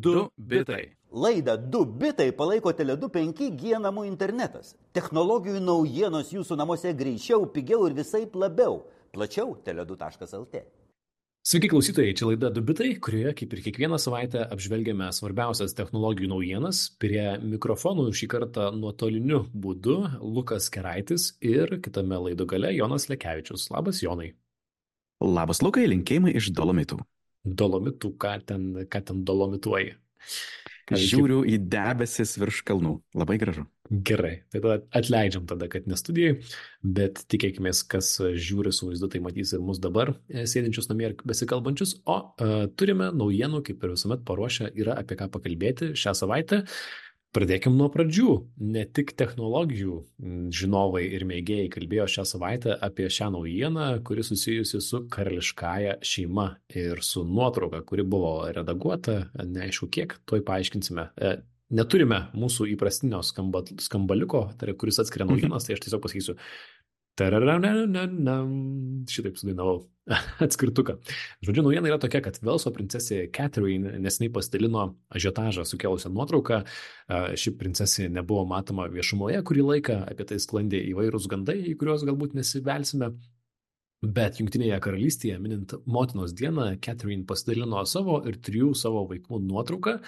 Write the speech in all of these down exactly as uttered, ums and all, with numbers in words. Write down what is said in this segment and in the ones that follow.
du bitai. Laidą du bitai palaiko Tele du penki G namų internetas. Technologijų naujienos jūsų namuose greičiau, pigiau ir visaip labiau. Plačiau tele du taškas el te. Sveiki klausytojai, čia laida du bitai, kurioje kaip ir kiekvieną savaitę apžvelgiame svarbiausias technologijų naujienas. Prie mikrofonų šį kartą nuotoliniu būdu Lukas Keraitis ir kitame laido gale Jonas Lekevičius. Labas, Jonai. Labas, Lukai, linkėjimai iš Dolomitų. Dolomitų, ką ten, ką ten dolomituoji? Žiūriu į debesis virš kalnų. Labai gražu. Gerai, tai tada atleidžiam tada, kad ne studijai, bet tikėkime, kas žiūri su vaizdu, tai matys ir mus dabar sėdinčius namie ir besikalbančius. O uh, turime naujienų, kaip ir visuomet paruošę, yra apie ką pakalbėti šią savaitę. Pradėkim nuo pradžių. Ne tik technologijų žinovai ir mėgėjai kalbėjo šią savaitę apie šią naujieną, kuri susijusi su karališkąja šeima ir su nuotrauka, kuri buvo redaguota, neaišku kiek, tuoj paaiškinsime. Neturime mūsų įprastinio skamba, skambaliuko, tai yra, kuris atskiria naujienas, tai aš tiesiog pasakysiu. Šitaip sudainavau atskirtuką. Žodžiu, naujiena yra tokia, kad Velso princesė Catherine neseniai pasidalino ažiotažą sukėlusią nuotrauką. Ši princesė nebuvo matoma viešumoje kurį laiką, apie tai sklandė įvairūs gandai, į kuriuos galbūt nesivelsime. Bet Jungtinėje karalystėje, minint motinos dieną, Catherine pasidalino savo ir trijų savo vaikų nuotrauką.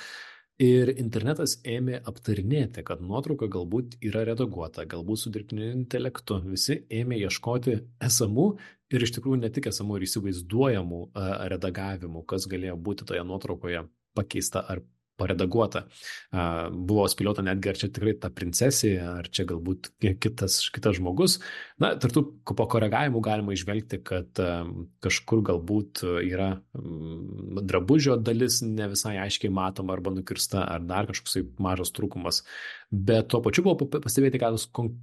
Ir internetas ėmė aptarinėti, kad nuotrauka galbūt yra redaguota, galbūt su dirbtiniu intelektu. Visi ėmė ieškoti esamų ir iš tikrųjų ne tik esamų ir įsivaizduojamų redagavimų, kas galėjo būti toje nuotraukoje pakeista ar paredaguota. Buvo spėliota netgi, ar čia tikrai ta princesė, ar čia galbūt kitas, kitas žmogus. Na, tartų po koregavimų galima išvelgti, kad kažkur galbūt yra drabužio dalis ne visai aiškiai matoma arba nukirsta, ar dar kažkoks mažas trūkumas. Bet tuo pačiu buvo pastebėti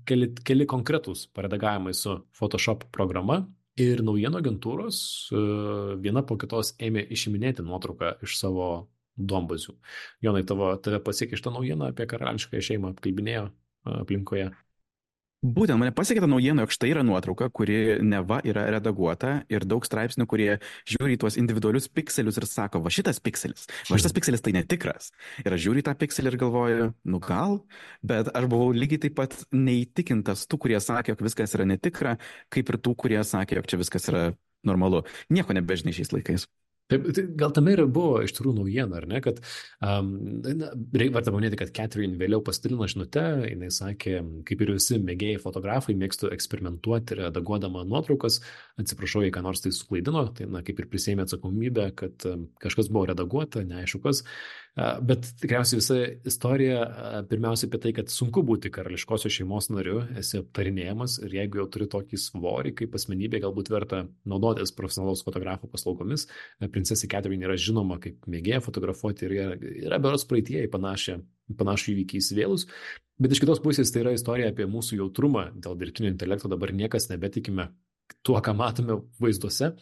keli, keli konkretūs paredagavimai su Photoshop programa. Ir naujienų agentūros viena po kitos ėmė išiminėti nuotrauką iš savo duombazių. Jonai, tavo, tave pasiekė šitą naujieną apie karališkąją šeimą, apkalbinėjo aplinkoje? Būtent mane pasiekė ta naujiena, jog štai yra nuotrauka, kuri neva yra redaguota ir daug straipsnių, kurie žiūri į tuos individualius pikselius ir sako, va šitas pikselis, va šitas pikselis tai netikras. Ir aš žiūriu į tą pikselį ir galvoju, nu gal, bet aš buvau lygiai taip pat neįtikintas tų, kurie sakė, jog viskas yra netikra, kaip ir tų, kurie sakė, jog čia viskas yra normalu. Nieko nebežinai šiais laikais. Taip, tai gal tame ir buvo iš tikrųjų naujiena, ar ne, kad um, verta paminėti, kad Catherine vėliau pasidalino žinute, jinai sakė, kaip ir visi mėgėjai fotografai, mėgstu eksperimentuoti redaguodama nuotraukas, atsiprašau, jei ką nors tai suklaidino, tai na, kaip ir prisėmė atsakomybę, kad um, kažkas buvo redaguota, neaišku kas, uh, bet tikriausiai visa istorija uh, pirmiausia apie tai, kad sunku būti karališkosios šeimos nariu, esi aptarinėjamas ir jeigu jau turi tokį svorį, kaip asmenybė, galbūt verta naudotis profesionalaus fotografo paslaugomis. Princesė Catherine yra žinoma kaip mėgėja fotografuoti ir yra, yra berods praeitie į panašią, panašų įvykį įsivėlus. Bet iš kitos pusės tai yra istorija apie mūsų jautrumą dėl dirbtinio intelekto. Dabar niekas nebetikime tuo, ką matome vaizduose.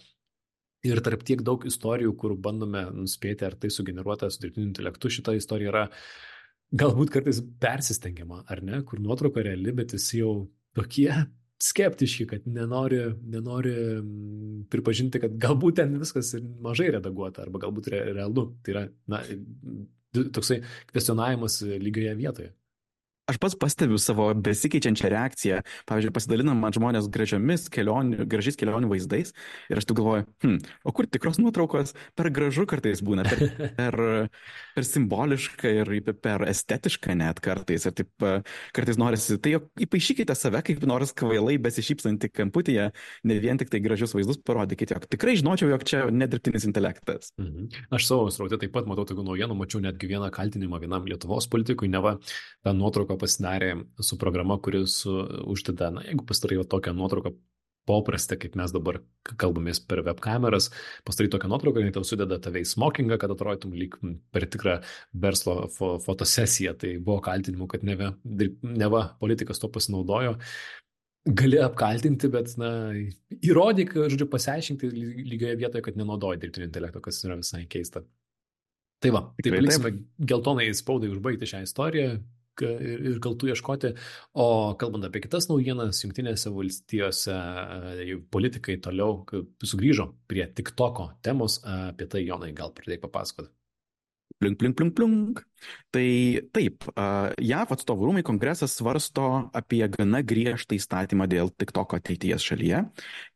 Ir tarp tiek daug istorijų, kur bandome nuspėti, ar tai sugeneruota su dirbtiniu intelektu, šita istorija yra galbūt kartais persistengiama, ar ne, kur nuotrauka reali, bet visi jau tokie skeptiški, kad nenori, nenori pripažinti, kad galbūt ten viskas mažai redaguota arba galbūt re, realu. Tai yra na, toksai kvestionavimas lygioje vietoje. Aš pats pastebiu savo besikeičiančią reakciją. Pavyzdžiui, pasidalinam man žmonės gražiomis kelionių, gražiais kelionių vaizdais ir aš tu galvoju, hm, o kur tikros nuotraukos per gražu kartais būna, per, per, per simboliška ir per estetiška net kartais. Ir taip kartais norisi, tai įpaišykite save kaip nors kvailai besišypsantį kamputyje, ne vien tik tai gražius vaizdus parodykite, jog tikrai žinočiau, jog čia nedirbtinis intelektas. Mhm. Aš savo sraute taip pat matau tokių naujienų, mačiau netgi vieną kaltinimą vienam Lietuvos politikui, neva tą nuotrauką pasidarė su programa, kuris uždeda, na, jeigu pastarai tokią nuotrauką paprastą, kaip mes dabar kalbamės per webkameras, pastarai tokią nuotrauką, jinai tau sudeda tave į smokingą, kad atrodytum lyg per tikrą verslo fo fotosesiją. Tai buvo kaltinimų, kad neva, neva politikas to pasinaudojo. Gali apkaltinti, bet, na, įrodyk, žodžiu, pasiaiškinti lygioje vietoje, kad nenaudoji dirbtinio intelekto, kas yra visai keista. Tai va, tai paliksime geltonai spaudai užbaigti šią istoriją ir kaltų ieškoti. O kalbant apie kitas naujienas, Jungtinėse valstijose politikai toliau sugrįžo prie TikToko temos. Apie tai, Jonai, gal pradėk papasakoti. Plink, plink, plink, plink. Tai taip, J A V atstovų rūmai kongresas svarsto apie gana griežtą įstatymą dėl TikTok ateities šalyje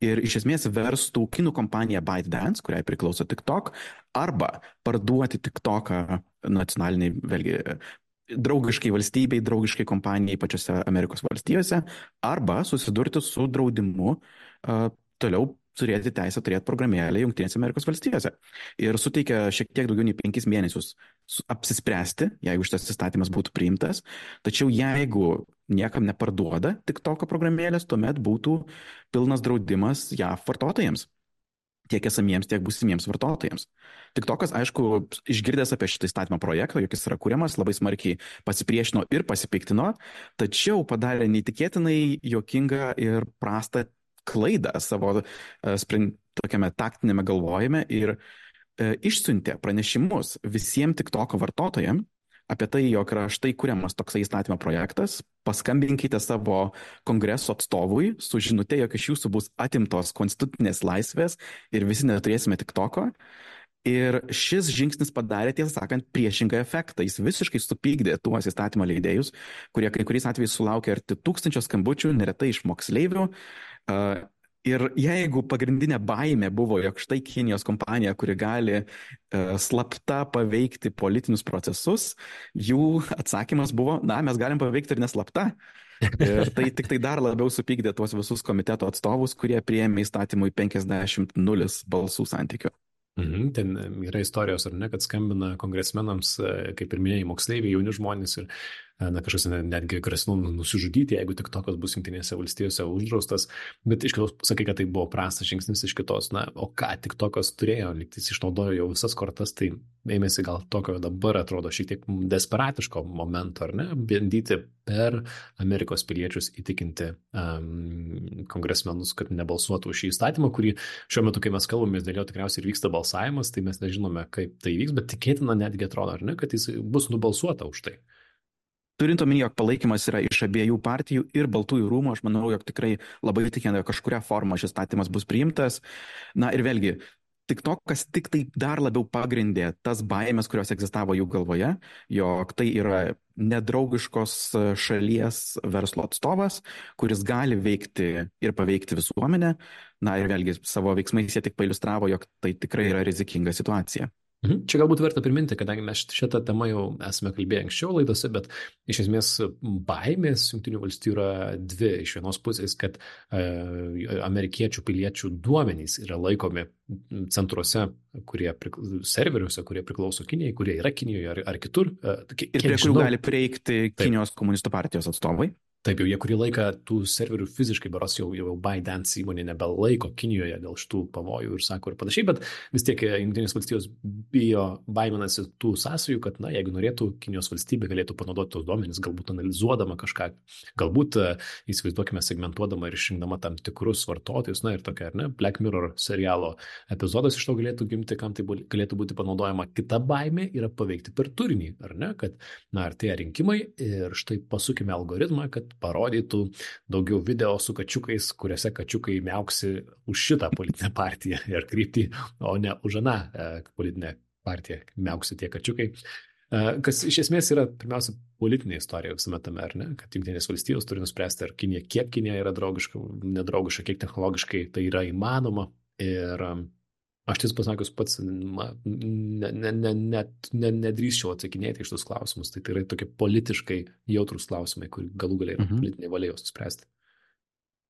ir iš esmės verstų kinų kompaniją ByteDance, kuriai priklauso TikTok, arba parduoti TikToką nacionaliniai, vėlgi, draugiškai valstybei, draugiškai kompanijai pačiose Amerikos valstijose, arba susidurti su draudimu uh, toliau turėti teisę turėti programėlę Jungtinėse Amerikos valstijose. Ir suteikia šiek tiek daugiau nei penkis mėnesius apsispręsti, jeigu šitas įstatymas būtų priimtas. Tačiau jeigu niekam neparduoda TikToko programėlės, tuomet būtų pilnas draudimas J A V vartotojams. Tiek esamiems, tiek būsimiems vartotojams. TikTokas, aišku, išgirdęs apie šitą įstatymą projektą, jog jis yra kuriamas, labai smarkiai pasipriešino ir pasipiktino, tačiau padarė neįtikėtinai juokingą ir prastą klaidą savo sprend, tokiame taktinėme galvojime ir e, išsiuntė pranešimus visiems TikToko vartotojams apie tai, jog yra štai kuriamas toksai įstatymo projektas, paskambinkite savo kongreso atstovui su žinute, jog iš jūsų bus atimtos konstitucinės laisvės ir visi neturėsime TikToko. Ir šis žingsnis padarė, tiesą sakant, priešingą efektą. Jis visiškai supykdė tuos įstatymo leidėjus, kurie kai kuriais atvejais sulaukė arti tūkstančio skambučių, neretai iš moksleivių. Uh, ir jeigu pagrindinė baimė buvo, jog štai Kinijos kompanija, kuri gali uh, slapta paveikti politinius procesus, jų atsakymas buvo, na, mes galim paveikti ir neslapta. Ir tai tik tai dar labiau supykdė tuos visus komiteto atstovus, kurie priėmė įstatymui penkiasdešimt nulis balsų santykių. Mhm, ten yra istorijos, ar ne, kad skambina kongresmenams, kaip ir minėjai, moksleiviai, jauni žmonės ir na, kažkas netgi grasino nusižudyti, jeigu TikTokas bus Jungtinėse valstijose uždraustas, bet iš kitos sakai, kad tai buvo prastas žingsnis, iš kitos, na, o ką TikTokas turėjo, lygtais išnaudojo jau visas kortas, tai ėmėsi gal tokio dabar atrodo šiek tiek desperatiško momento, ar ne, bandyti per Amerikos piliečius įtikinti um, kongresmenus, kad nebalsuotų už šį įstatymą, kurį šiuo metu, kai mes kalbame, dėl jo tikriausiai ir vyksta balsavimas, tai mes nežinome, kaip tai vyks, bet tikėtina netgi atrodo, ar ne, kad jis bus nubalsuota už tai. Turint omeny, jog palaikymas yra iš abiejų partijų ir Baltųjų rūmų, aš manau, jog tikrai labai tikėtina, jog kažkuria forma šis įstatymas bus priimtas. Na ir vėlgi, TikTokas tik tai dar labiau pagrindė tas baimės, kurios egzistavo jų galvoje, jog tai yra nedraugiškos šalies verslo atstovas, kuris gali veikti ir paveikti visuomenę. Na ir vėlgi, savo veiksmais jie tik pailiustravo, jog tai tikrai yra rizikinga situacija. Čia galbūt verta priminti, kadangi mes šitą temą jau esame kalbėję anksčiau laidose, bet iš esmės baimės Jungtinių valstijų yra dvi. Iš vienos pusės, kad e, amerikiečių piliečių duomenys yra laikomi centruose, kurie serveriuose, kurie priklauso Kinijai, kurie yra Kinijoje ar, ar kitur. E, kiek, ir prie kurių gali prieikti Kinijos komunistų partijos atstovai. Taip, jau jie kurį laiką tų serverių fiziškai, beros jau, jau ByteDance įmonė nebelaiko Kinijoje dėl šitų pavojų ir sako ir panašiai, bet vis tiek Jungtinės valstijos bijo, baiminasi tų sąsajų, kad, na, jeigu norėtų, Kinijos valstybė galėtų panaudoti tos duomenys, galbūt analizuodama kažką, galbūt įsivaizduokime segmentuodama ir išrinkdama tam tikrus vartotojus, na ir tokia, ar ne, Black Mirror serialo epizodas iš to galėtų gimti, kam tai galėtų būti panaudojama. Kita baimė yra paveikti per turinį, ar ne, kad, na, artėja rinkimai ir štai pasukime algoritmą, kad parodytų daugiau video su kačiukais, kuriuose kačiukai miauksi už šitą politinę partiją ir kryptį, o ne už aną e, politinę partiją miauksi tie kačiukai. E, kas iš esmės yra pirmiausia politinė istorija visame tame, ar ne? Kad Jungtinės valstijos turi nuspręsti, ar Kinija, kiek Kinija yra draugiška, nedraugiška, kiek technologiškai tai yra įmanoma. Ir aš tiesą pasakius pats ma, ne, ne, ne, net ne, nedrįsčiau atsakinėti iš tos klausimus. Tai, tai yra tokie politiškai jautrus klausimai, kur galų galiai yra mhm. politinė valia juos spręsti.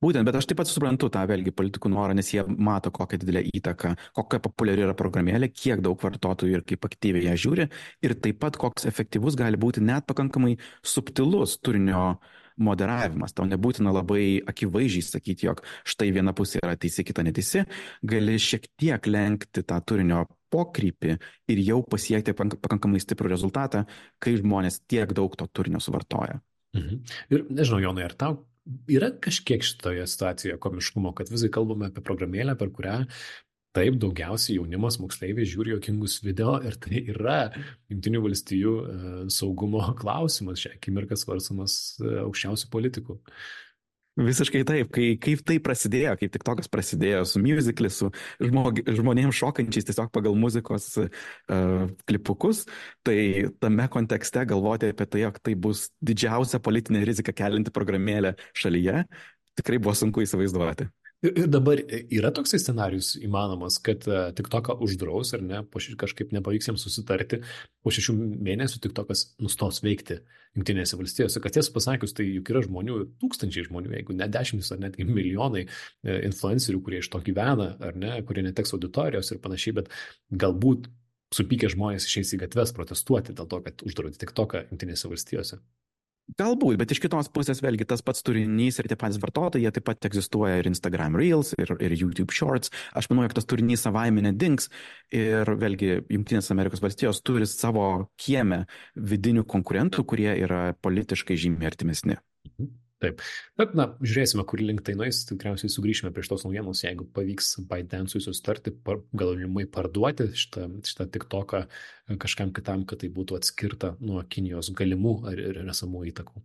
Būtent, bet aš taip pat suprantu tą vėlgi politikų norą, nes jie mato, kokią didelę įtaką, kokia populiari yra programėlė, kiek daug vartotojų ir kaip aktyviai ją žiūri ir taip pat koks efektyvus gali būti net pakankamai subtilus turinio moderavimas. Tau nebūtina labai akivaizdžiai sakyti, jog štai viena pusė yra teisi, kita neteisi. Gali šiek tiek lenkti tą turinio pokrypį ir jau pasiekti pakankamai stiprų rezultatą, kai žmonės tiek daug to turinio suvartoja. Mhm. Ir nežinau, Jonai, ar tau yra kažkiek šitoje situacijoje komiškumo, kad visai kalbame apie programėlę, per kurią taip daugiausiai jaunimas moksleiviai žiūri juokingus video ir tai yra Jungtinių valstijų saugumo klausimas, šią akimirką svarstomas aukščiausių politikų. Visiškai taip, kai, kaip tai prasidėjo, kaip TikTokas prasidėjo su musicali, su žmog, žmonėms šokančiais tiesiog pagal muzikos uh, klipukus, tai tame kontekste galvoti apie tai, jog tai bus didžiausia politinė rizika kelinti programėlė šalyje, tikrai buvo sunku įsivaizduoti. Ir dabar yra toksai scenarius įmanomas, kad TikToką uždraus ar ne, po ši, kažkaip nepavyks jiems susitarti, po šešių mėnesių TikTokas nustos veikti Jungtinėse valstijose. Kad tiesą pasakius, tai juk yra žmonių, tūkstančiai žmonių, jeigu ne dešimtis ar netgi milijonai influencerių, kurie iš to gyvena, ar ne, kurie neteks auditorijos ir panašiai, bet galbūt supykę žmonės išeis į gatves protestuoti dėl to, kad uždraudė TikToką Jungtinėse valstijose. Galbūt, bet iš kitos pusės vėlgi tas pats turinys ir tie patys vartotojai, jie taip pat egzistuoja ir Instagram Reels, ir, ir YouTube Shorts. Aš manau, jog tas turinys savaime nedings ir vėlgi Jungtinės Amerikos valstijos turi savo kieme vidinių konkurentų, kurie yra politiškai žymiai artimesni. Mhm. Taip, bet na, žiūrėsime, kur link tai nueis, tikriausiai sugrįšime prie šitos naujienos, jeigu pavyks ByteDance'ui susitarti, par, galimai parduoti šitą, šitą TikToką kažkam kitam, kad tai būtų atskirta nuo Kinijos galimų ar ir esamų įtakų.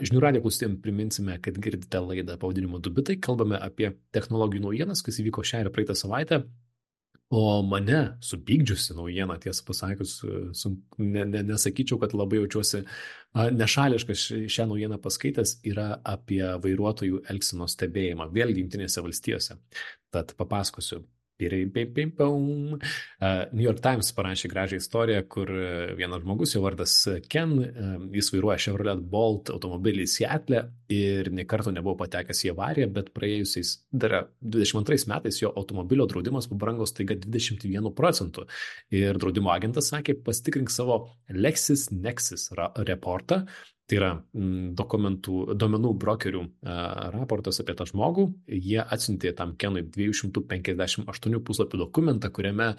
Žinių radijo klausytojams priminsime, kad girdite laidą pavadinimu du bitai, kalbame apie technologijų naujienas, kas įvyko šią ir praeitą savaitę. O mane supykdžiusi naujiena, tiesą pasakius, su, ne, ne, nesakyčiau, kad labai jaučiuosi nešališkas šią naujieną paskaitęs, yra apie vairuotojų elgsenos stebėjimą, vėlgi Jungtinėse valstijose. Tad papasakosiu. New York Times parašė gražią istoriją, kur vienas žmogus, jo vardas Ken, jis vairuoja Chevrolet Bolt automobilį Seattle ir nė karto nebuvo patekęs į avariją, bet praėjusiais dar dvidešimt antrais metais jo automobilio draudimas pabrango staiga dvidešimt vienu procentu. Ir draudimo agentas sakė, pasitikrink savo LexisNexis reportą. Tai yra dokumentų, duomenų brokerių raportas apie tą žmogų. Jie atsiuntė tam Kenui dviejų šimtų penkiasdešimt aštuonių puslapių dokumentą, kuriame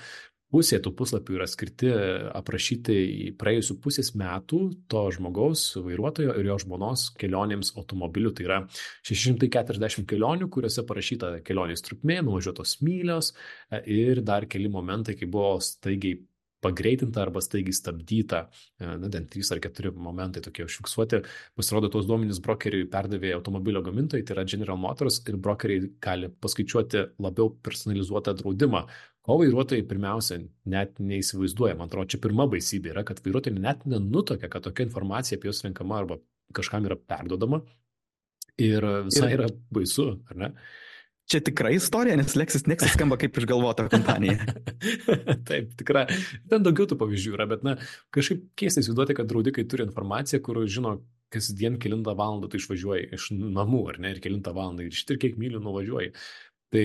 pusė tų puslapių yra skirti aprašyti į praėjusių pusės metų to žmogaus, vairuotojo ir jo žmonos kelionėms automobiliu. Tai yra šeši šimtai keturiasdešimt kelionių, kuriuose parašyta kelionės trukmė, nuvažiuotos mylios ir dar keli momentai, kai buvo staigiai pagreitinta arba staigiai stabdyta, na, ten trys ar keturi momentai tokie užfiksuoti. Pasirodo, tos duomenys brokeriui perdavė automobilio gamintojai, tai yra General Motors, ir brokeriai gali paskaičiuoti labiau personalizuotą draudimą, ko vairuotojai pirmiausia net neįsivaizduoja. Man atrodo, čia pirma baisybė yra, kad vairuotojai net nenutokia, kad tokia informacija apie juos renkama arba kažkam yra perdodama ir visai yra baisu, ar ne? Čia tikra istorija, nes LexisNexis skamba kaip išgalvota kompanija. Taip, tikra. Ten daugiau tų pavyzdžių yra, bet na, kažkaip keista įsivaizduoti, kad draudikai turi informaciją, kur žino, kasdien kelintą valandą tu išvažiuoji iš namų, ar ne, ir kelintą valandą, ir štir kiek mylių nuvažiuoji. Tai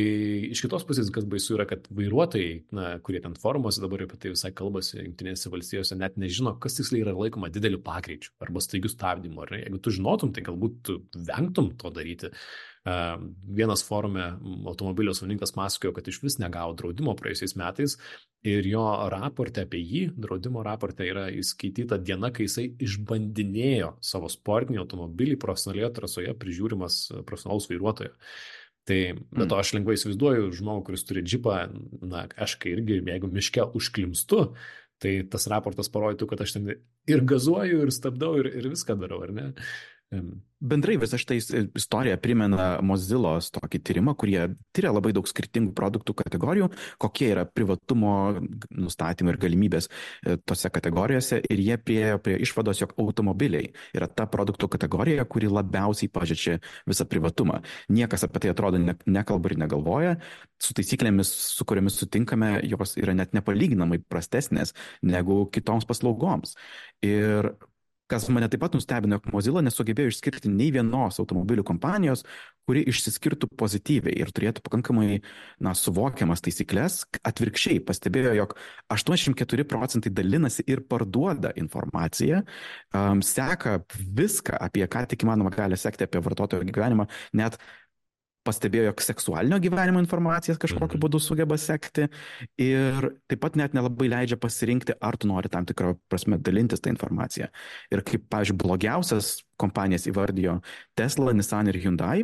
iš kitos pusės, kas baisu yra, kad vairuotojai, na, kurie ten forumuose dabar apie tai visai kalbasi Jungtinėse valstijose, net nežino, kas tiksliai yra laikoma dideliu pagreičiu arba staigiu stabdymu. Ar ne? Jeigu tu žinotum, tai galbūt tu vengtum to daryti. Uh, vienas forume automobilio savininkas pasakojo, kad iš vis negavo draudimo praėjusiais metais ir jo raporte apie jį, draudimo raporte yra įskaityta diena, kai jisai išbandinėjo savo sportinį automobilį profesionalioje trasoje prižiūrimas profesionalaus vairuotojo. Tai, bet to aš lengvai įsivaizduoju žmogų, kuris turi džipą, na, aš kai irgi, jeigu miške užklimstu, tai tas raportas parodytų, kad aš ten ir gazuoju, ir stabdau, ir, ir viską darau, ar ne? Bendrai visa šitą istoriją primena Mozillos tokį tyrimą, kurie tyria labai daug skirtingų produktų kategorijų, kokie yra privatumo nustatymai ir galimybės tose kategorijose, ir jie priejo prie išvados, jog automobiliai yra ta produktų kategorija, kuri labiausiai pažeidžia visą privatumą. Niekas apie tai atrodo ne, nekalba ir negalvoja, su taisyklėmis, su kuriomis sutinkame, jos yra net nepalyginamai prastesnės negu kitoms paslaugoms. Ir kas mane taip pat nustebino, jog Mozilla nesugebėjo išskirti nei vienos automobilių kompanijos, kuri išsiskirtų pozityviai ir turėtų pakankamai, na, suvokiamas taisyklės. Atvirkščiai pastebėjo, jog aštuoniasdešimt keturi procentai dalinasi ir parduoda informaciją, um, seka viską, apie ką tik įmanoma gali sekti apie vartotojo gyvenimą, net pastebėjo, jog seksualinio gyvenimo informacijas kažkokiu būdu sugeba sekti ir taip pat net nelabai leidžia pasirinkti, ar tu nori tam tikrą prasme dalintis tą informaciją. Ir kaip, pavyzdžiui, blogiausias kompanijas įvardijo Tesla, Nissan ir Hyundai,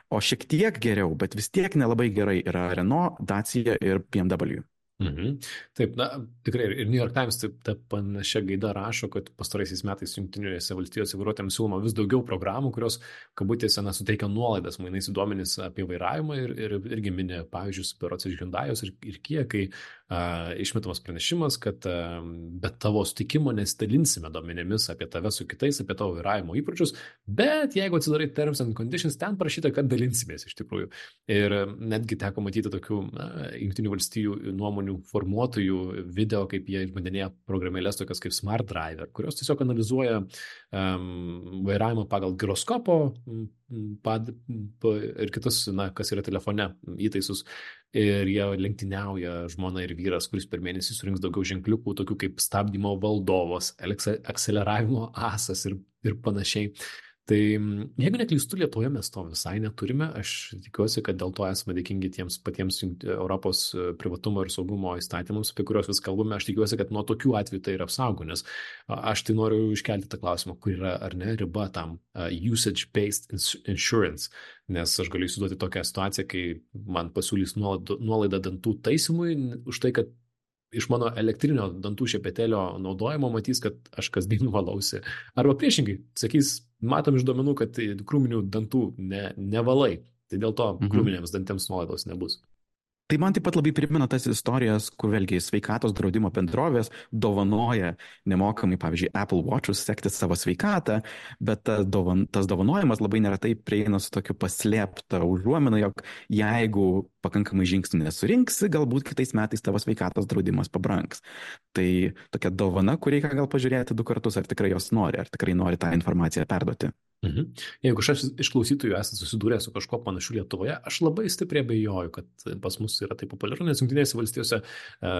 o šiek tiek geriau, bet vis tiek nelabai gerai yra Renault, Dacia ir B M W. Mhm. Taip, na, tikrai ir New York Times taip ta panašia gaida rašo, kad pastaraisiais metais Jungtinėse valstijose vairuotojams siūloma vis daugiau programų, kurios, kabutėse, na, suteikia nuolaidas mainais į duomenis apie vairavimą ir, ir irgi minė pavyzdžius berods iš Hyundai'os ir, ir Kia, kai a, išmetamas pranešimas, kad a, be tavo sutikimo nesidalinsime duomenimis apie tave su kitais, apie tavo vairavimo įpročius, bet jeigu atsidarai Terms and Conditions, ten parašyta, kad dalinsimės iš tikrųjų. Ir netgi teko matyti tokių na, Jungtinių valstijų nuomonių formuotojų video, kaip jie išbandinėja programėlės tokias kaip Smart Driver, kurios tiesiog analizuoja um, vairavimą pagal giroskopo pad, pa, ir kitus, na, kas yra telefone įtaisus. Ir jie lenktyniauja žmona ir vyras, kuris per mėnesį surinks daugiau ženkliukų, tokių kaip stabdymo valdovas, akceleravimo asas ir, ir panašiai. Tai jeigu neklystu, Lietuvoje mes to visai neturime, aš tikiuosi, kad dėl to esame dėkingi tiems patiems Europos privatumo ir saugumo įstatymams, apie kuriuos vis kalbame, aš tikiuosi, kad nuo tokių atvejų tai yra apsaugo, nes aš tai noriu iškelti tą klausimą, kur yra ar ne riba tam uh, usage-based insurance, nes aš galiu įsivaizduoti tokią situaciją, kai man pasiūlys nuolaidą dantų taisymui už tai, kad iš mano elektrinio dantų šepetėlio naudojimo matys, kad aš kasdien valausi. Arba priešingai, sakys, matom iš duomenų, kad krūminių dantų ne, nevalai, tai dėl to Mhm. krūminėms dantėms nuolaidos nebus. Tai man taip pat labai primena tas istorijas, kur vėlgi sveikatos draudimo bendrovės dovanoja nemokamai, pavyzdžiui, Apple Watch'us sekti savo sveikatą, bet tas, dovan, tas dovanojimas labai neretai prieina su tokiu paslėpta užuomina, jog jeigu pakankamai žingsnių nesurinksi, galbūt kitais metais tavo sveikatos draudimas pabrangs. Tai tokia dovana, kur reikia gal pažiūrėti du kartus, ar tikrai jos nori, ar tikrai nori tą informaciją perduoti. Mhm. Jeigu aš iš klausytojų esate susidūrę su kažko panašiu Lietuvoje, aš labai stipriai abejoju, kad pas mus yra taip populiaru, nes Jungtinėse valstijose e,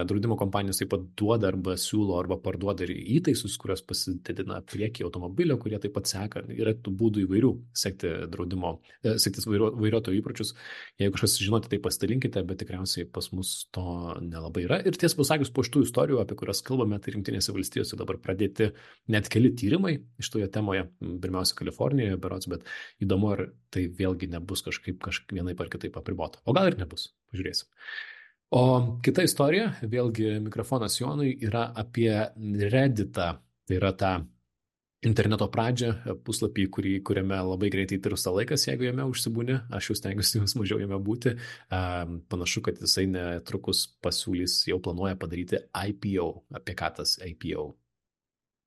draudimo kompanijos taip pat duoda arba siūlo arba parduoda ir įtaisus, kurios pasididina priekį automobilio, kurie taip pat seka. Yra tų būdų įvairių sekti draudimo, e, sektis vairuo, vairuotojų įpročius. Jeigu kažkas žinote, tai pasidalinkite, bet tikriausiai pas mus to nelabai yra. Ir tiesą pasakius, po šitų istorijų, apie kurias kalbame, tai Jungtinėse valstijose dabar pradėti net keli tyrimai iš toje temoje, pirmiausia Kalifornijoje berods, bet įdomu, ar tai vėlgi nebus kažkaip kažkaip vienaip ar kitaip apribota. O gal ir nebus, pažiūrėsim. O kita istorija, vėlgi mikrofonas Jonui, yra apie Redditą, tai yra tą interneto pradžią, puslapį, kurį, kuriame labai greitai tirsta laikas, jeigu jame užsibūni, aš jau stengiuosi jums mažiau jame būti. Um, panašu, kad jisai netrukus pasiūlys, jau planuoja padaryti I P O. Apie ką tas I P O?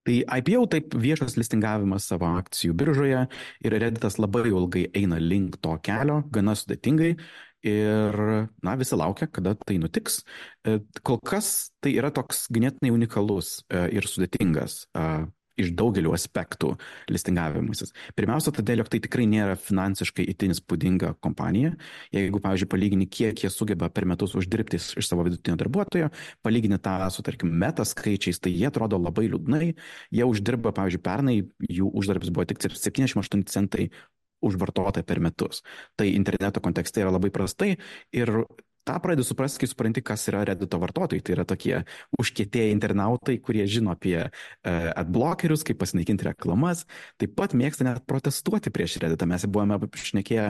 Tai I P O taip viešas listingavimas savo akcijų biržoje ir Redditas labai ilgai eina link to kelio, gana sudėtingai ir, na, visi laukia, kada tai nutiks. Kol kas tai yra toks ganėtinai unikalus ir sudėtingas iš daugelių aspektų listingavimasis. Pirmiausia, todėl, jog tai tikrai nėra finansiškai itin įspūdinga kompanija. Jeigu, pavyzdžiui, palygini, kiek jie sugeba per metus uždirbti iš savo vidutinio darbuotojo, palygini tą su, tarkim, meta skaičiais, tai jie atrodo labai liūdnai. Jie uždirba, pavyzdžiui, pernai jų uždarbis buvo tik septyniasdešimt aštuoni centai už vartotoją per metus. Tai interneto kontekste yra labai prastai ir tą pradedi suprasti, kai supranti, kas yra Reddito vartotojai. Tai yra tokie užkietėję internautai, kurie žino apie uh, adblockerius, kaip pasinaikinti reklamas, taip pat mėgsta net protestuoti prieš Redditą. Mes buvome šnekėję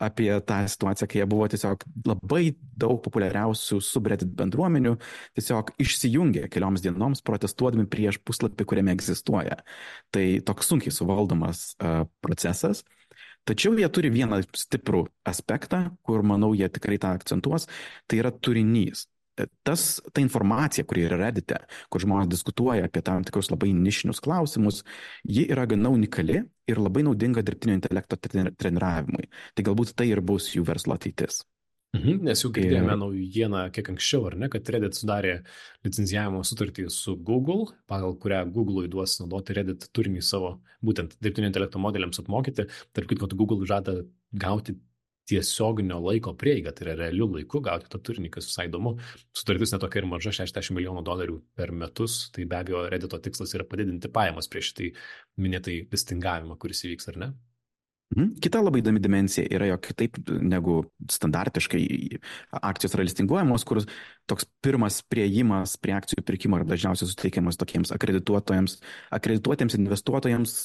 apie tą situaciją, kai jie buvo tiesiog labai daug populiariausių subreddit bendruomenių, tiesiog išsijungė kelioms dienoms protestuodami prieš puslapį, kuriame egzistuoja. Tai toks sunkiai suvaldomas uh, procesas. Tačiau jie turi vieną stiprų aspektą, kur, manau, jie tikrai tą akcentuos, tai yra turinys. Tas, ta informacija, kuri yra Reddite, kur žmonės diskutuoja apie tam tikrus labai nišinius klausimus, ji yra gana unikali ir labai naudinga dirbtinio intelekto treniravimui. Tai galbūt tai ir bus jų verslo ateitis. Mhm, nes jau girdėjome ir... naujieną kiek anksčiau, ar ne, kad Reddit sudarė licenzijavimo sutartį su Google, pagal kurią Google duos naudoti Reddit turinį savo būtent dirbtinio intelekto modeliams apmokyti. Tarp kitko, Google žada gauti tiesioginio laiko prieigą, tai yra realių laikų gauti tą turinį, kas visai įdomu. Sutartis netokia ir maža, šešiasdešimt milijonų dolerių per metus, tai be abejo Reddito tikslas yra padidinti pajamas prieš tai minėtai listingavimą, kuris įvyks, ar ne? Kita labai įdomi dimensija yra, jog kitaip negu standartiškai akcijos yra listinguojamos, kur toks pirmas priėjimas prie akcijų pirkimo yra dažniausiai suteikiamas tokiems akredituotojams, akredituotiems investuotojams,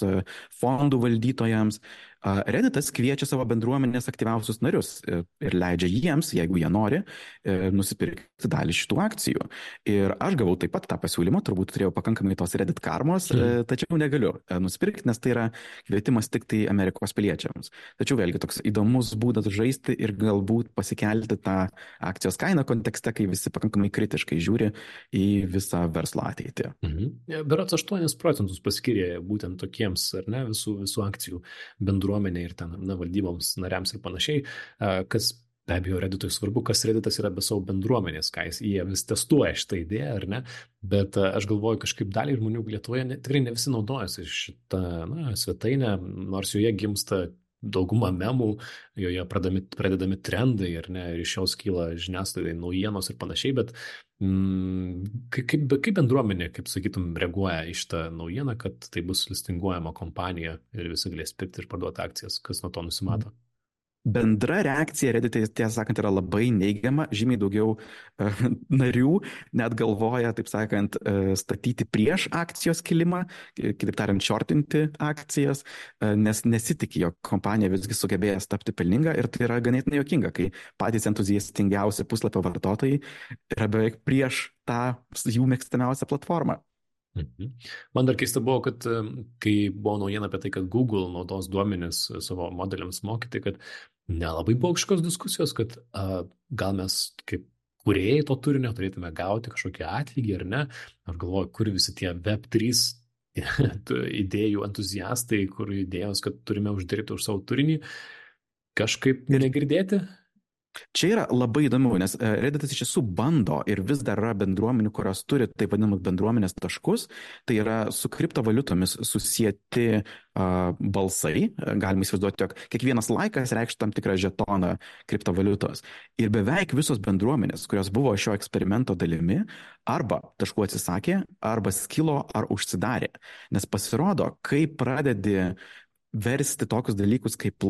fondų valdytojams. Redditas kviečia savo bendruomenės aktyviausius narius ir leidžia jiems, jeigu jie nori, nusipirkti dalį šitų akcijų. Ir aš gavau taip pat tą pasiūlymą, turbūt turėjau pakankamai tos Reddit karmos, mm. tačiau negaliu nusipirkti, nes tai yra kvietimas tik tai Amerikos piliečiams. Tačiau vėlgi toks įdomus būdas žaisti ir galbūt pasikelti tą akcijos kainą kontekste, kai visi pakankamai kritiškai žiūri į visą verslo ateitį. Mhm. Berods aštuonis procentus paskyrė būtent tokiems, ar ne, visų, visų akcijų bendruomenė ir ten, na, valdyboms, nariams ir panašiai, kas be abejo Redditui svarbu, kas Redditas yra be savo bendruomenės, ką jis, jie vis testuoja šitą idėją, ar ne, bet aš galvoju, kažkaip dalį žmonių Lietuvoje ne, tikrai ne visi naudojasi šitą, na, svetainę, nors joje gimsta dauguma memų, joje pradami, pradedami trendai ir, ne, ir iš jos kyla žiniasklaidai naujienos ir panašiai, bet mm, kaip, kaip bendruomenė, kaip sakytum, reaguoja į šitą naujieną, kad tai bus listinguojama kompanija ir visi galės pirkti ir parduoti akcijas, kas nuo to nusimato? Bendra reakcija Reddit'e, tiesą sakant, yra labai neigiama, žymiai daugiau uh, narių net galvoja, taip sakant, uh, statyti prieš akcijos kilimą, kitaip tariant, shortinti akcijas, uh, nes nesitikė, jog kompanija visgi sugebėjęs tapti pelninga ir tai yra ganėtinai juokinga, kai patys entuziastingiausi puslapio vartotojai yra beveik prieš tą jų mėgstamiausią platformą. Mhm. Man dar keista buvo, kad kai buvo naujiena apie tai, kad Google naudos duomenis savo modeliams mokyti, kad nelabai buvo kažkokios diskusijos, kad uh, gal mes kaip kūrėjai to turinio turėtume gauti kažkokį atlygį ar ne. Aš galvoju, kur visi tie web trys idėjų entuziastai, kur idėjos, kad turime uždirbti už savo turinį, kažkaip negirdėti. Čia yra labai įdomu, nes Redditas iš tiesų bando ir vis dar yra bendruomenių, kurios turi taip vadinamus bendruomenės taškus, tai yra su kriptovaliutomis susijęti uh, balsai, galima įsivaizduoti, jog kiekvienas laikas reikš tam tikrą žetoną kriptovaliutos. Ir beveik visos bendruomenės, kurios buvo šio eksperimento dalimi, arba taškų atsisakė, arba skilo ar užsidarė. Nes pasirodo, kai pradedi versti tokius dalykus kaip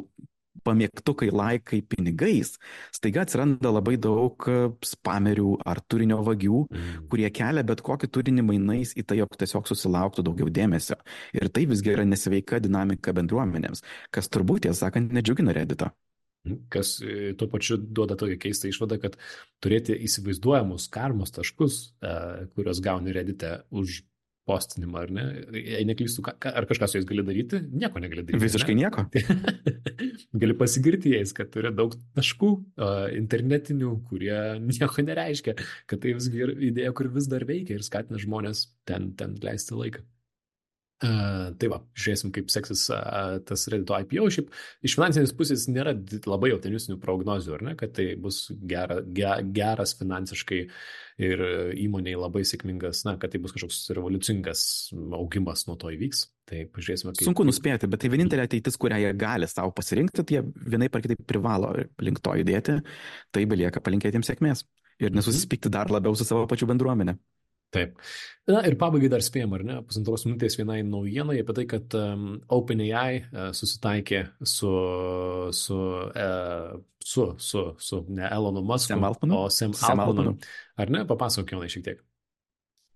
pamėgtukai, laikai pinigais, staiga atsiranda labai daug spamerių ar turinio vagių, mm. kurie kelia bet kokį turinį mainais į tai, jog tiesiog susilauktų daugiau dėmesio. Ir tai visgi yra nesveika dinamika bendruomenėms, kas turbūt, tiesą sakant, nedžiugina Redditą. Kas tuo pačiu duoda tokią keistą išvadą, kad turėti įsivaizduojamus karmos taškus, kurios gauni Reddit'e už postinimą, ar ne? Jei neklystu, ar kažką su jais gali daryti? Nieko negali daryti. Visiškai ne? nieko. Gali pasigirti jais, kad turi daug taškų uh, internetinių, kurie nieko nereiškia, kad tai visgi idėja, kur vis dar veikia ir skatina žmonės ten, ten leisti laiką. Uh, tai va, žiūrėsim, kaip seksis uh, tas Reddito I P O. Šiaip iš finansinės pusės nėra labai optimistinių prognozių, ar ne, kad tai bus gera, ge, geras finansiškai ir įmoniai labai sėkmingas, na, kad tai bus kažkoks revoliucingas augimas nuo to įvyks. Tai pažiūrėsime, kaip... Sunku nuspėti, bet tai vienintelė ateitis, kurią jie gali savo pasirinkti, tai jie vienaip ar kitaip privalo link to judėti, tai belieka palinkėti jiems sėkmės ir nesusispykti dar labiau su savo pačiu bendruomenė. Taip. Na ir pabaigai dar spėjom, ar ne, pusantros minutės vienai naujienai apie tai, kad um, OpenAI uh, susitaikė su, su, uh, su, su, su ne Elono Musku, Sam Altmanu. o Sam, Sam Altmanu. Altmanu. Ar ne? Papasakok, Jonai, šiek tiek.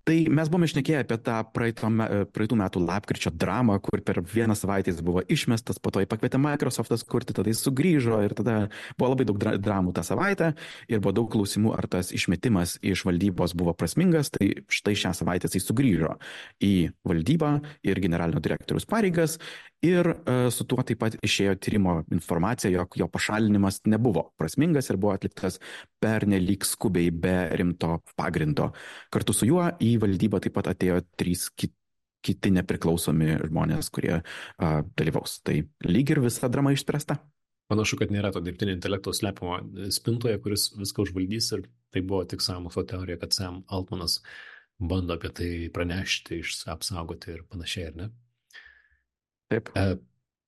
Tai mes buvome šnekėję apie tą praeito, praeitų metų lapkričio dramą, kur per vieną savaitę jis buvo išmestas, po to jį pakvietė Microsoftas kurti, tada jis sugrįžo ir tada buvo labai daug dramų tą savaitę ir buvo daug klausimų, ar tas išmetimas iš valdybos buvo prasmingas, tai štai šią savaitę jis sugrįžo į valdybą ir generalinio direktoriaus pareigas ir uh, su tuo taip pat išėjo tyrimo informacija, jog jo pašalinimas nebuvo prasmingas ir buvo atliktas pernelyg skubiai be rimto pagrindo. Kartu su juo į valdybą taip pat atėjo trys kiti, kiti nepriklausomi žmonės, kurie uh, dalyvaus. Tai lyg ir visa drama išspręsta. Panašu, kad nėra to dirbtinio intelekto slepiamo spintoje, kuris viską užvaldys ir tai buvo tik sąmokslo teorija, kad Sam Altmanas bando apie tai pranešti, apsaugoti ir panašiai, ar ne? Taip. E,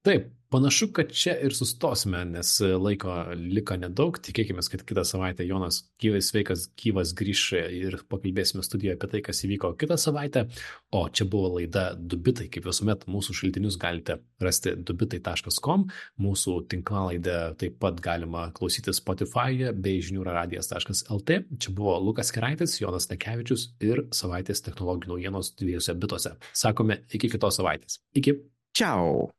taip, panašu, kad čia ir sustosime, nes laiko liko nedaug. Tikėkime, kad kitą savaitę Jonas gyvas, sveikas, gyvas grįš ir pakalbėsime studijoje apie tai, kas įvyko kitą savaitę. O čia buvo laida Du bitai. Kaip visuomet, mūsų šaltinius galite rasti dubitai taškas com. Mūsų tinklalaidę taip pat galima klausyti Spotify'e bei žiniųradijas taškas lt. Čia buvo Lukas Keraitis, Jonas Nekevičius ir savaitės technologijų naujienos dviejose bituose. Sakome, iki kitos savaitės. Iki. Ciao.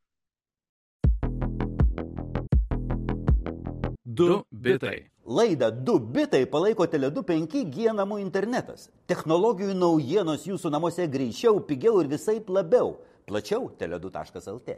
Du bitai. Laidą du bitai palaiko Tele du penki G namų internetas. Technologijų naujienos jūsų namuose greičiau, pigiau ir visaip labiau. Plačiau tele du taškas lt.